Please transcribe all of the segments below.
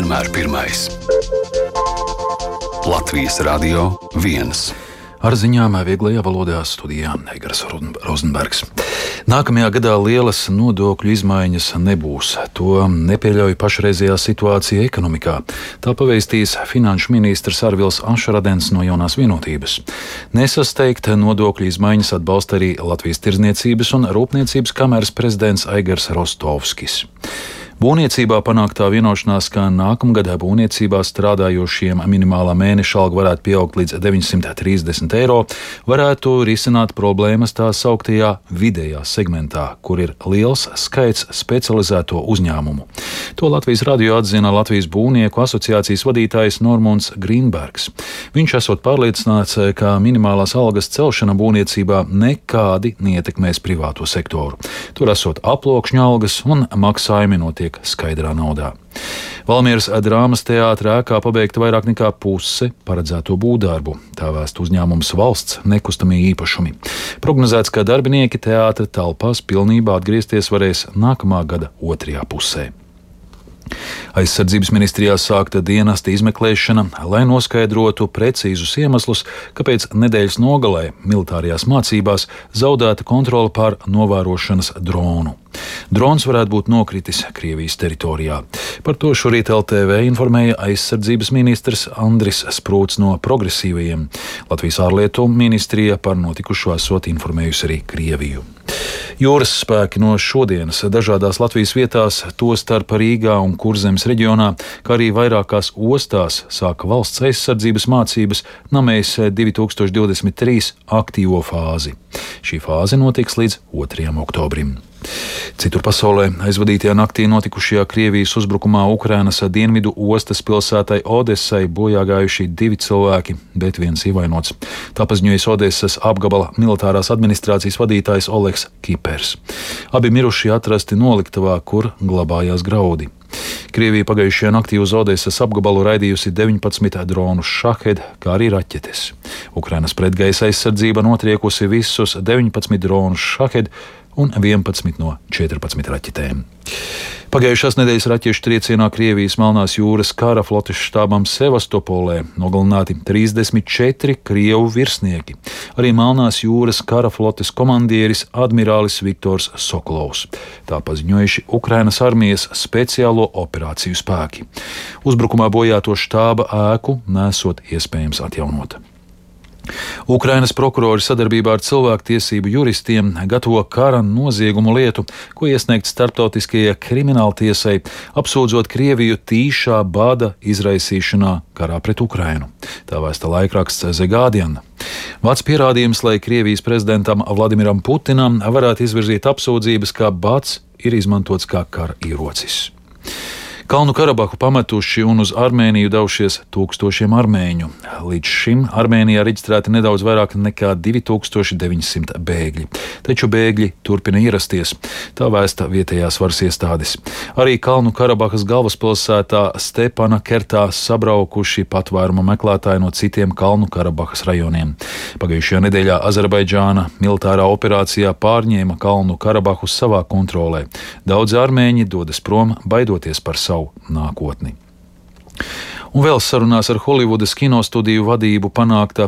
vienmēr pirmais. Latvijas Radio 1. Ar ziņām vieglajā valodā studijā Eigars Rozenbergs. Nākamajā gadā lielas nodokļu izmaiņas nebūs. To nepieļauj pašreizējā situācija ekonomikā. Tā pavēstīs finanšu ministrs Arvils Ašradens no Jaunās vienotības. Nesasteigt nodokļu izmaiņas atbalsta arī Latvijas Tirdzniecības un Rūpniecības kameras prezidents Aigars Rostovskis. Būvniecībā panāktā vienošanās, ka nākamgad būvniecībā strādājošiem minimālā mēneša alga varētu pieaugt līdz 930 eiro, varētu risināt problēmas tā sauktajā vidējā segmentā, kur ir liels skaits specializēto uzņēmumu. To Latvijas radio atzina Latvijas būvnieku asociācijas vadītājs Normunds Grīnbergs. Viņš esot pārliecināts, ka minimālās algas celšana būvniecībā nekādi neietekmēs privāto sektoru. Tur esot aploksņu algas un maksājumi notiek skaidrā naudā. Valmieras drāmas teātra ēkā pabeigta vairāk nekā puse paredzēto būvdarbu. Tā vēsta uzņēmums Valsts nekustamie īpašumi. Prognozēts, ka darbinieki teātra telpās pilnībā atgriezties varēs nākamā gada otrajā pusē. Aizsardzības ministrijā sākta dienesta izmeklēšana, lai noskaidrotu precīzus iemeslus, kāpēc nedēļas nogalē militārajās mācībās zaudēta kontrole pār novērošanas dronu. Drons varētu būt nokritis Krievijas teritorijā. Par to šorīt LTV informēja aizsardzības ministrs Andris Sprūts no Progresīvajiem. Latvijas ārlietu ministrija par notikušo esot informējusi arī Krieviju. Jūras spēki no šodienas dažādās Latvijas vietās, tostarp Rīgā un Kurzemes reģionā, kā arī vairākās ostās, sāka valsts aizsardzības mācības Namēs 2023 aktīvo fāzi. Šī fāze notiks līdz 2. oktobrim. Citur pasaulē aizvadītajā naktī notikušajā Krievijas uzbrukumā Ukrainas dienvidu ostas pilsētai Odesai bojā gājuši 2 cilvēki, bet 1 ievainots. Tā paziņoja Odesas apgabala militārās administrācijas vadītājs Oleks Kipers. Abi mirušie atrasti noliktavā, kur glabājās graudi. Krievija pagājušajā naktī uz Odesas apgabalu raidījusi 19 dronus Šahed, kā arī raķetes. Ukrainas pretgaisa aizsardzība notriekusi visus 19 dronus Šahed un 11 no 14 raķetēm. Pagājušās nedēļas raķešu triecienā Krievijas Melnās jūras kara flotes štābam Sevastopolē nogalināti 34 krievu virsnieki, arī Melnās jūras kara flotes komandieris admirālis Viktors Sokolovs. Tā paziņojuši Ukrainas armijas speciālo operāciju spēki. Uzbrukumā bojāto štāba ēku nesot iespējams atjaunot. Ukrainas prokurori sadarbībā ar cilvēktiesību juristiem gatavo kara noziegumu lietu, ko iesniegt starptautiskajai krimināltiesai, apsūdzot Krieviju tīšā bada izraisīšanā karā pret Ukrainu. Tā vēsta laikraksts The Guardian. Vārds pierādījums, lai Krievijas prezidentam Vladimiram Putinam varētu izvirzīt apsūdzības, ka bads ir izmantots kā kara ierocis. Kalnu Karabahu pametuši un uz Armēniju devušies tūkstošiem armēņu. Līdz šim Armēnijā reģistrēti nedaudz vairāk nekā 2900 bēgļi. Taču bēgļi turpina ierasties, tā vēsta vietējās varas iestādes. Arī Kalnu Karabahas galvaspilsētā Stepana Kertā sabraukuši patvēruma meklētāji no citiem Kalnu Karabahas rajoniem. Pagājušajā nedēļā Azerbaidžāna militārā operācijā pārņēma Kalnu Karabahu savā kontrolē. Daudzi armēņi dodas prom, baidoties par savu nākotni. Un vēl sarunās ar Holivudas kinostudiju vadību panākta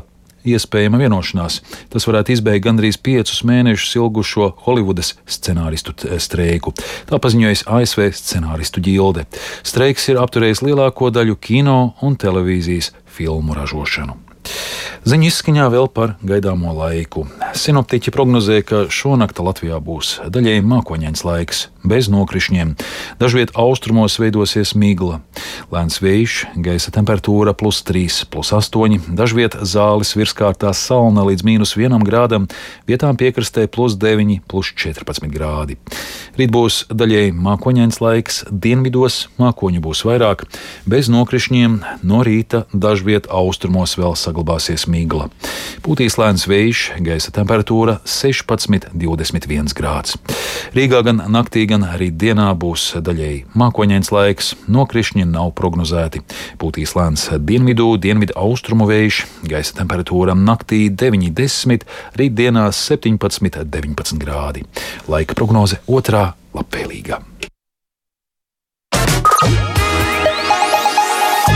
iespējama vienošanās. Tas varētu izbeigt gandrīz 5 mēnešus ilgušo Holivudas scenāristu streiku. Tā paziņojas ASV scenāristu ģilde. Streiks ir apturējis lielāko daļu kino un televīzijas filmu ražošanu. Ziņu izskaņā vēl par gaidāmo laiku. Sinoptiķi prognozē, ka šonakt Latvijā būs daļēji mākoņains laiks, bez nokrišņiem. Dažviet austrumos veidosies migla. Lēns vējš, gaisa temperatūra +3, +8, dažviet zāles virskārtā salna līdz -1 grādam, vietām piekrastē +9, +14 grādi. Rīt būs daļēji mākoņains laiks, dienvidos mākoņu būs vairāk, bez nokrišņiem, no rīta dažviet austrumos vēl saglabāsies migla. Pūtīs lēns vējš, gaisa temperatūra 16–21 grāds. Rīgā gan naktī, gan arī dienā būs daļēji mākoņains laiks, nokrišņi nav prognozēti. Pūtīs lēns dienvidu austrumu vējš, gaisa temperatūra naktī 9–10, rīt dienā 17–19 grādi. Laika prognoze otrā labvēlīga.